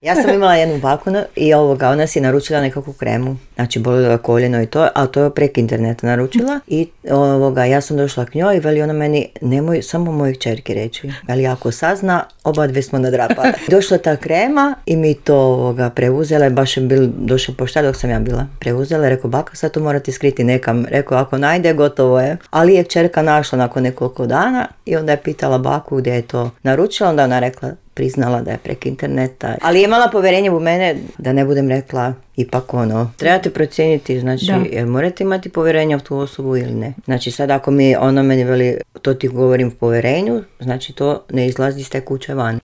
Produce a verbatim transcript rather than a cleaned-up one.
Ja sam imala jednu baku i ovoga, ona si naručila nekakvu kremu, znači bolilo je koljeno i to, a to je preko interneta naručila i ovoga, ja sam došla k njoj i veli ona meni, nemoj samo mojoj kćerki reći, ali ako sazna, oba dve smo nadrapale. Došla ta krema i mi to ovoga, preuzela i baš je bil, došao poštar dok sam ja bila. Preuzela, rekao, baka, sad to morate skriti nekam. Rekao, ako najde, gotovo je. Ali je kćerka našla nakon nekoliko dana i onda je pitala baku gdje je to naručila, onda ona rekla, priznala da je prek interneta. Ali je imala povjerenje u mene da ne budem rekla ipak ono. Trebate procijeniti, znači, da. Jer morate imati povjerenja u tu osobu ili ne. Znači sad ako mi ona meni veli, to ti govorim u povjerenju, znači to ne izlazi iz te kuće van.